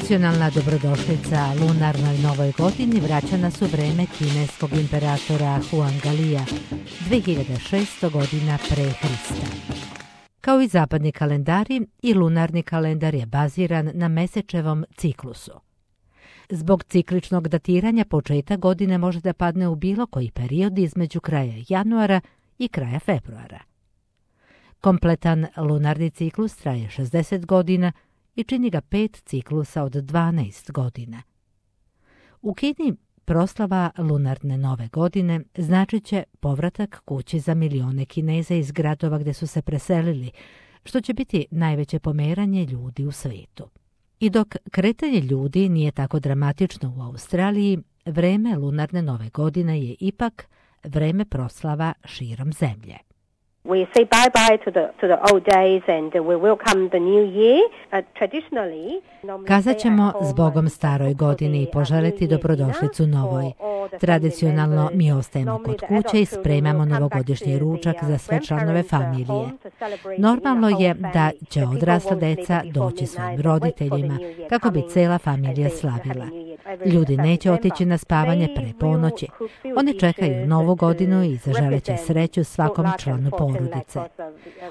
Tradicionalna dobrodošlica lunarnoj novoj godini vraća nas u vreme kineskog imperatora Huangalija 2600 godina pre Hrista. Kao i zapadni kalendari, i lunarni kalendar je baziran na mesečevom ciklusu. Zbog cikličnog datiranja početak godine može da padne u bilo koji period između kraja januara i kraja februara. Kompletan lunarni ciklus traje 60 godina i čini ga 5 ciklusa od 12 godina. U Kini proslava lunarne nove godine značit će povratak kući za milione Kineza iz gradova gde su se preselili, što će biti najveće pomeranje ljudi u svetu. I dok kretanje ljudi nije tako dramatično u Australiji, vreme lunarne nove godine je ipak vreme proslava širom zemlje. We say bye-bye to the old days and we welcome the new year. Traditionally, Kazat ćemo zbogom staroj godini i poželeti dobrodošlicu novoj. Tradicionalno mi ostajemo kod kuće i spremamo novogodišnji ručak za sve članove familije. Normalno je da će odrasla deca doći svojim roditeljima kako bi cela familija slavila. Ljudi neće otići na spavanje pre ponoći. Oni čekaju novu godinu i zaželeće sreću svakom članu porodice.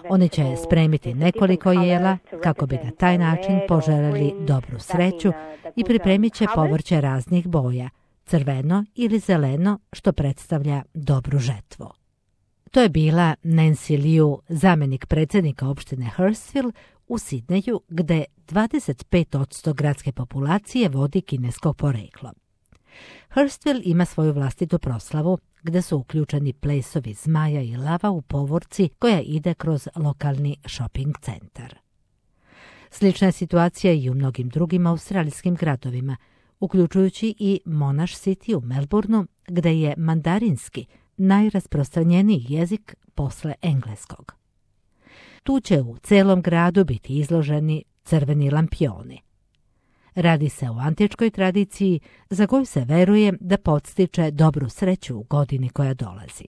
Oni će spremiti nekoliko jela kako bi na taj način poželeli dobru sreću i pripremit će povrće raznih boja, crveno ili zeleno, što predstavlja dobru žetvu. To je bila Nancy Liu, zamenik predsjednika opštine Hurstville u Sidneju, gde 25% gradske populacije vodi kineskog poreklo. Hurstville ima svoju vlastitu proslavu, gde su uključeni plesovi zmaja i lava u povorci koja ide kroz lokalni shopping centar. Slična je situacija i u mnogim drugim australijskim gradovima, uključujući i Monash City u Melbourneu, gde je mandarinski najrasprostranjeniji jezik posle engleskog. Tu će u celom gradu biti izloženi crveni lampioni. Radi se o antičkoj tradiciji za koju se veruje da podstiče dobru sreću u godini koja dolazi.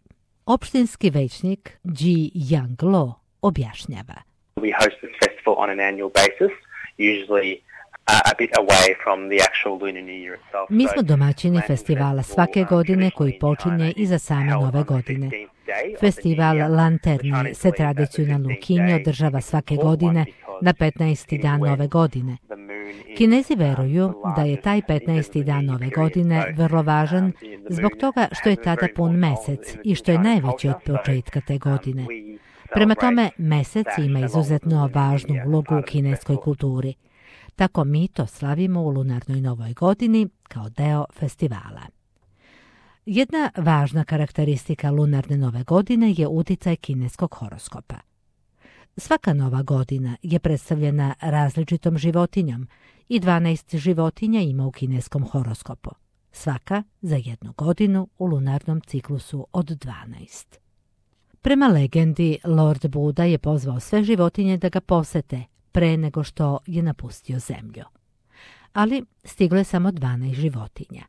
Opštinski većnik Ji Yang Lo objašnjava. We host this festival on an annual basis, usually a bit away from the actual Lunar New Year itself. Mi smo domaćini festivala svake godine koji počinje iza same nove godine. Festival Lanterni se tradicionalno u Kini održava svake godine na 15. dan nove godine. Kinezi veruju da je taj 15. dan nove godine vrlo važan zbog toga što je tada pun mesec i što je najveći od početka te godine. Prema tome, mesec ima izuzetno važnu ulogu u kineskoj kulturi. Tako mi to slavimo u lunarnoj novoj godini kao deo festivala. Jedna važna karakteristika lunarne nove godine je uticaj kineskog horoskopa. Svaka nova godina je predstavljena različitom životinjom i 12 životinja ima u kineskom horoskopu. Svaka za jednu godinu u lunarnom ciklusu od 12. Prema legendi, Lord Buda je pozvao sve životinje da ga posete pre nego što je napustio zemlju. Ali stiglo je samo 12 životinja.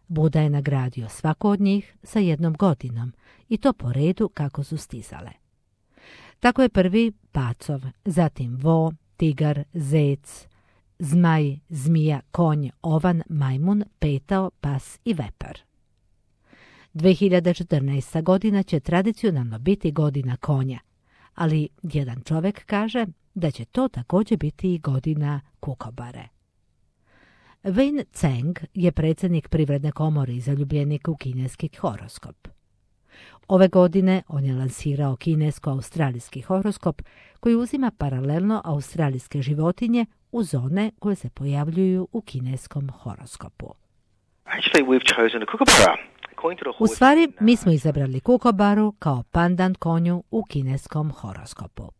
Buda je nagradio svaku od njih sa jednom godinom i to po redu kako su stizale. Tako je prvi pacov, zatim vo, tigar, zec, zmaj, zmija, konj, ovan, majmun, petao, pas i vepar. 2014. godina će tradicionalno biti godina konja, ali jedan čovek kaže da će to također biti i godina kukobare. Wayne Tseng je predsjednik Privredne komore i zaljubljenik u kineski horoskop. Ove godine on je lansirao kinesko-australijski horoskop koji uzima paralelno australijske životinje u zone koje se pojavljuju u kineskom horoskopu. U stvari, mi smo izabrali kukobaru kao pandan konju u kineskom horoskopu.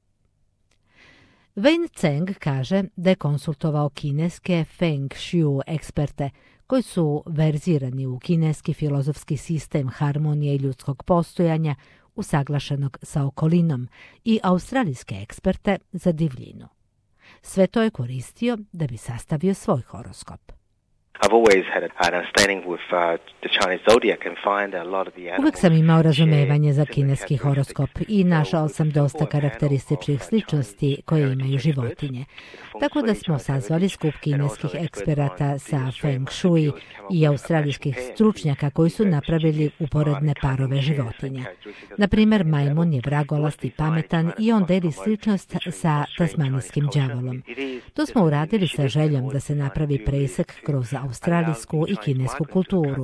Wayne Tseng kaže da je konsultovao kineske Feng Shui eksperte koji su verzirani u kineski filozofski sistem harmonije i ljudskog postojanja usaglašenog sa okolinom i australijske eksperte za divljinu. Sve to je koristio da bi sastavio svoj horoskop. Uvijek sam imao razumevanje za kineski horoskop i našao sam dosta karakterističnih sličnosti koje imaju životinje. Tako da smo sazvali skup kineskih eksperata sa Feng Shui i australijskih stručnjaka koji su napravili uporedne parove životinja. Na primjer, majmun je vragolast i pametan i on deli sličnost sa tasmanijskim đavolom. To smo uradili sa željom da se napravi presek kroz australijsku i kinesku kulturu.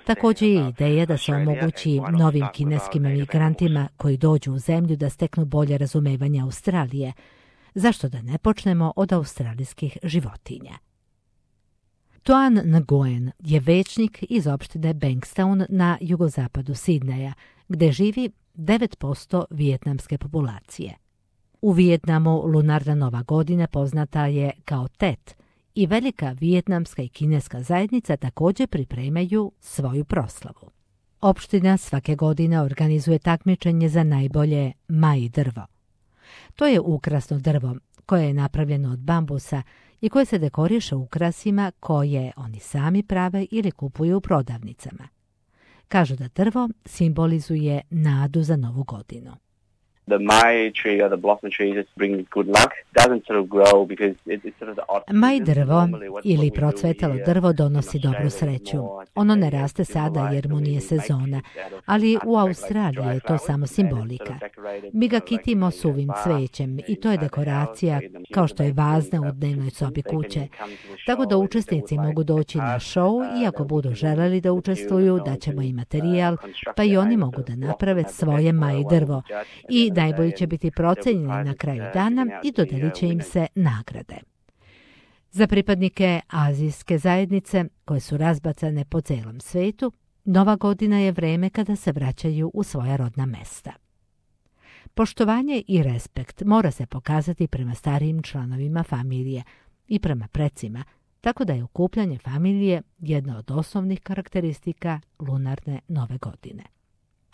Također je ideja da se omogući novim kineskim emigrantima koji dođu u zemlju da steknu bolje razumevanje Australije. Zašto da ne počnemo od australijskih životinja? Tuan Nguyen je većnik iz opštine Bankstown na jugozapadu Sidneja, gdje živi 9% vijetnamske populacije. U Vijetnamu lunarna nova godina poznata je kao Tet i velika vijetnamska i kineska zajednica također pripremaju svoju proslavu. Opština svake godine organizuje takmičenje za najbolje Mai drvo. To je ukrasno drvo koje je napravljeno od bambusa i koje se dekoriše ukrasima koje oni sami prave ili kupuju u prodavnicama. Kažu da drvo simbolizuje nadu za novu godinu. The Mai tree or the blossom tree just brings good luck. Doesn't sort of grow because it's sort of the odd. Mai drvo ili procvetalo drvo donosi dobru sreću. Ono ne raste sada jer mu nije sezona, ali u Australiji je to samo simbolika. Mi ga kitimo suvim cvećem i to je dekoracija kao što je vazna u dnevnoj sobi kuće. Tako da učesnici mogu doći na show i ako budu želeli da učestvuju, daćemo im materijal, pa i oni mogu da naprave svoje Mai drvo i najbolji će biti procenjeni na kraju dana i dodelit će im se nagrade. Za pripadnike azijske zajednice, koje su razbacane po celom svetu, Nova godina je vreme kada se vraćaju u svoja rodna mesta. Poštovanje i respekt mora se pokazati prema starijim članovima familije i prema precima, tako da je okupljanje familije jedna od osnovnih karakteristika lunarne nove godine.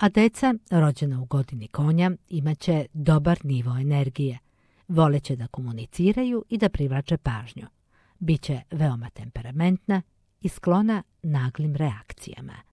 A deca, rođena u godini konja, imaće dobar nivo energije. Voleće da komuniciraju i da privlače pažnju. Biće veoma temperamentna i sklona naglim reakcijama.